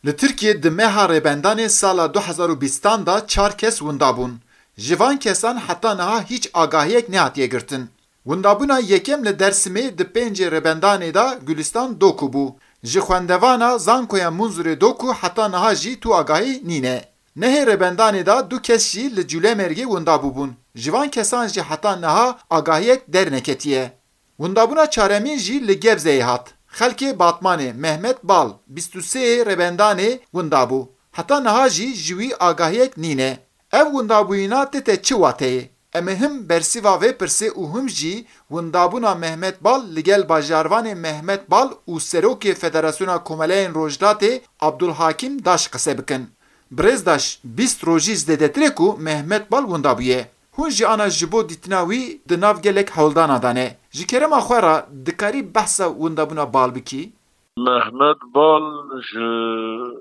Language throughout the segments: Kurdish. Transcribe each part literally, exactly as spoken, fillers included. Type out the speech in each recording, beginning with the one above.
Li Tirkiyê di meha rêbendanê sala du hezar û bîstan de çar kes winda bûn. Ji van kesan heta niha hîç agahiyek nehatiye girtin. Windabûna yekem li Dêrsimê di pêncê rêbendanê de Gulistan Doku bû. Ji xwendevana Zankoya Munzurê Doku heta niha jî tu agahî nîne. Nehê rêbendanê de du kes jî li Cûlemêrgê winda bûbûn. Ji van kesan jî heta niha agahiyek derneketiye. Windabûna çaremîn jî li Gebzeyê hat. Xelkê Batmanê Mehmet Bal, bîst û sê rêbendanê winda bû. Heta niha jî ji wî agahiyek nîne. Ev windabûyîna tête çi wateyê? Em ê him bersîva vê pirsê û him jî windabûna Mehmet Bal li gel bajarvanê Mehmet Bal û Serokê Federasyona Komeleyên Rojhilatê Abdulhakim Daş qise bikin. Birêz Daş, bîst rojî zêdetir e ku Mehmet Bal winda bûye. Hûn jî ana ji bo dîtina wî di nav gelek hewldana de ne. Ji kerema xwe re dikarî behsa windabûna Bal bikî? Mehmet Bal ji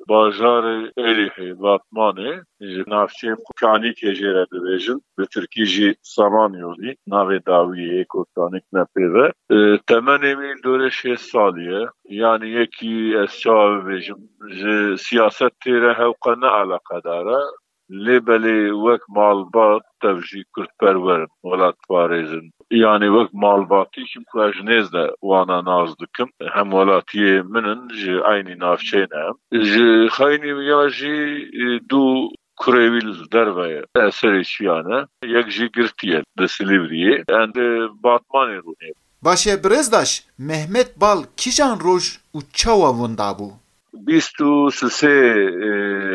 bajarê Êlihê, Batmanê, ji navçeyê Kanîkê jê re dibêjin, bi tirkî jî Samanyolî, navê dawiyê yê ku tanîk ne pê ve. E, temenê wî li dorê şêst salî ye. Yanî yekî ez çawa bibêjim, ji siyasetê re hewqe ne eleqedar e. Lê belê wek malbat tev jî kurdperwer in, welatparêz in. Yanî wek malbatî, çimku ez ji nêz de wana nas dikim. Hemwelatiyê min in, ji eynî navçeyê ne em. Ji xeynî ya jî, e, du kurê wî li derve ye. Eserê çiya ne. Yek jî girtî ye li Silîvriyê. Em di Batmanê rûnê. Baş e, Birêz Daş, Mehmet Bal kîjan roj û çawa winda bû? Bîst û sisê, e,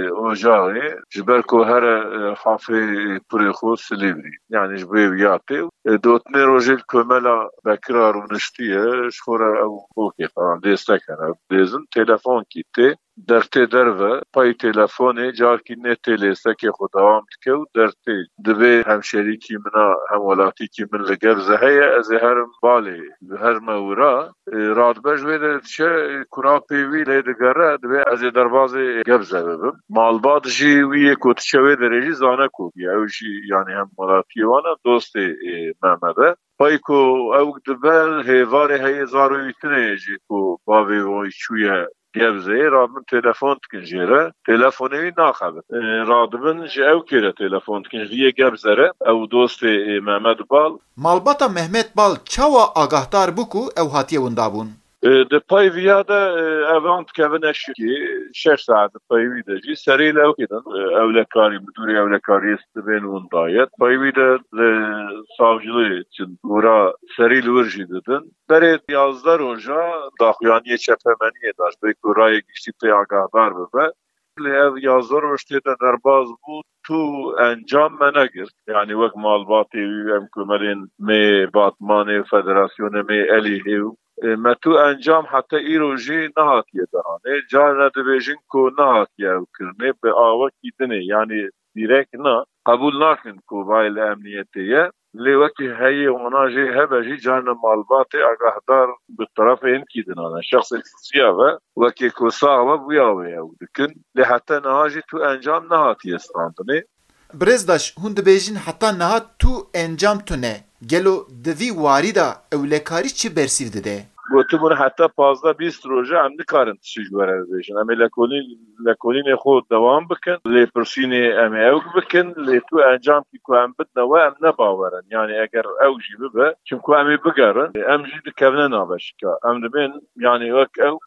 Ocaxê, ji ber ku here, e, hafê kurê xwe Silîvrî. Yanî ji bo vê ya tê. E, dotnê rojê li komela Bekira rûniştiye, ji xwe re ew bokê xwe dêstek hene, dêzin, telefon kî tê. Dertê derve, pey telefonê, carkî nê tê lêstekê xwe dewam dike û dertê. Divê hemşerîkî min a, hemwelatîkî min li Gebze heye, ez ê herim balê, herime wira. E, radibe ji wê de diçe, e, kurapê wî lê digere, divê ez ê derbazê Gebze bibim. Malbat jî wî yê ku diçe wê derê jî zane ku bûye. Ew jî, yanî hemwelatiyê wan e, dostê, e, Mehmed e. Pey ku ew dibe, hêvarê heyê zarê wî tune ye jî ku bavê wî çûye Gebzeyê, radibin telefon dikin jê re. Telefonê wî naxebit. E, radibin ji ew kê re telefon dikin, ji vî yê Gebze re, ew dostê, e, Mehmet Bal. Malbata Mehmet Bal çawa agahdar bû ku ew hatiye windabûn? E, di pey viya de, e, evan dikevine şikî, şeş saet di pey wî de jî serî li ew kê din, e, ewlekarî, midûrê ewlekariyê dibên winda ye. Pey wî de li savcilî çin, wira serî li wir jî didin. Berê yazdeh roja daxuyaniyê çepemeniyê da, ji bo ku rayê giştî pê agahdar bibe. Lê ev yazdeh roj tê de derbaz bû, tu encam me negirt. Yanî wek malbatê wî, em komelên me Batmanê, federasyonê me Elîhê û, e, me tu encam heta îro jî nehatiye dehanê. Carna dibêjin ku nehatiye ew kirinê, bi awekî dinê, yanî dîrek na, qebûl nakin ku bayê li emniyetê ye. Lê wekî heyê wana jê hebe jî, carna malbatê agahdar bi terefê hinkî din ne. Şexsê siya ve, wekî ku sax be, bûya wê ew dikin. Lê heta niha jî tu encam nehatiye standinê. Birêz Daş, hûn dibêjin heta niha tu encam tune. Gelo di vî warî de ewlekarî çi bersîv dide? Gotibûn heta pazdeh bîst roje em nikarin tiştî ji we re bibêjin. Em ê lekolîn-, lekolînê xwe dewam bikin. Lêpirsînê em ê ewk bikin. Lê tu encamkî ku em bidine we, em ne bawer in. Yanî eger ew jî bibe, çimku em ê bigerin, em jî dikevine navbeşika. Em dibên, yanî wek ew,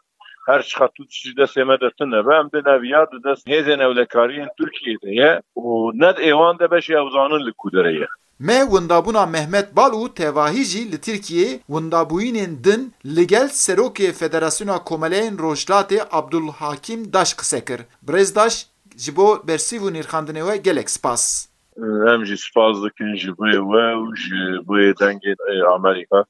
her çiqas tu tiştî destê me de tune be, em dê neviya di dest hêzên ewlekariyên Tirkiyê de ye û ne di êwan de beşê ew zanin li ku derê ye. Me windabûna Mehmet Bal û tevahî jî li Tirkiyê windabûyînên din li gel Serokê Federasyona Komeleyên Rojhilatê Abdulhakim Daş qise kir. Birêz Daş, ji bo bersîv û nirxandinê we gelek spas. Em jî spas dikin ji bo we û ji bo dengê, e, Amerîka.